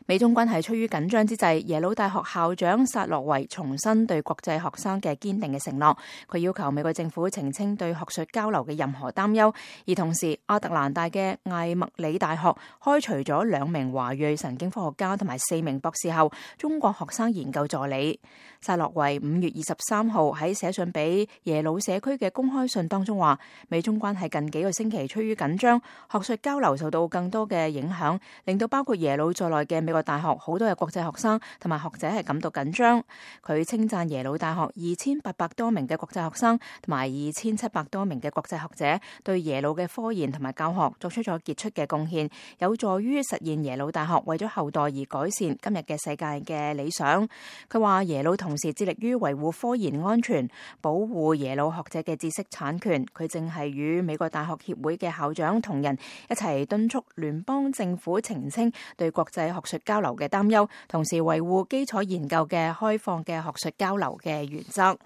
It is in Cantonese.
美中關係趨於緊張之際，耶魯大學校長薩洛維重申對國際學生嘅堅定嘅承諾。佢要求美國政府澄清對學術交流嘅任何擔憂。而同時，亞特蘭大嘅艾默里大學開除咗2名華裔神經科學家同埋4名博士後中國學生研究助理。薩洛維5月23號喺寫信俾耶魯社區嘅公開信當中話，美中關係近幾個星期趨於緊張，學術交流受到更多嘅影響，令到包括耶魯在內嘅美國大學好多嘅國際學生同埋學者係感到緊張。佢稱讚耶魯大學2800多名嘅國際學生同埋2700多名嘅國際學者對耶魯嘅科研同埋教學作出咗傑出嘅貢獻，有助於實現耶魯大學為咗後代而改善今日嘅世界嘅理想。佢話耶魯同時致力於維護科研安全，保護耶魯學者嘅知識產權。佢正係與美國大學協會嘅校長同仁一齊敦促聯邦政府澄清對國際學術交流嘅擔憂，同時維護基礎研究嘅開放嘅學術交流嘅原則。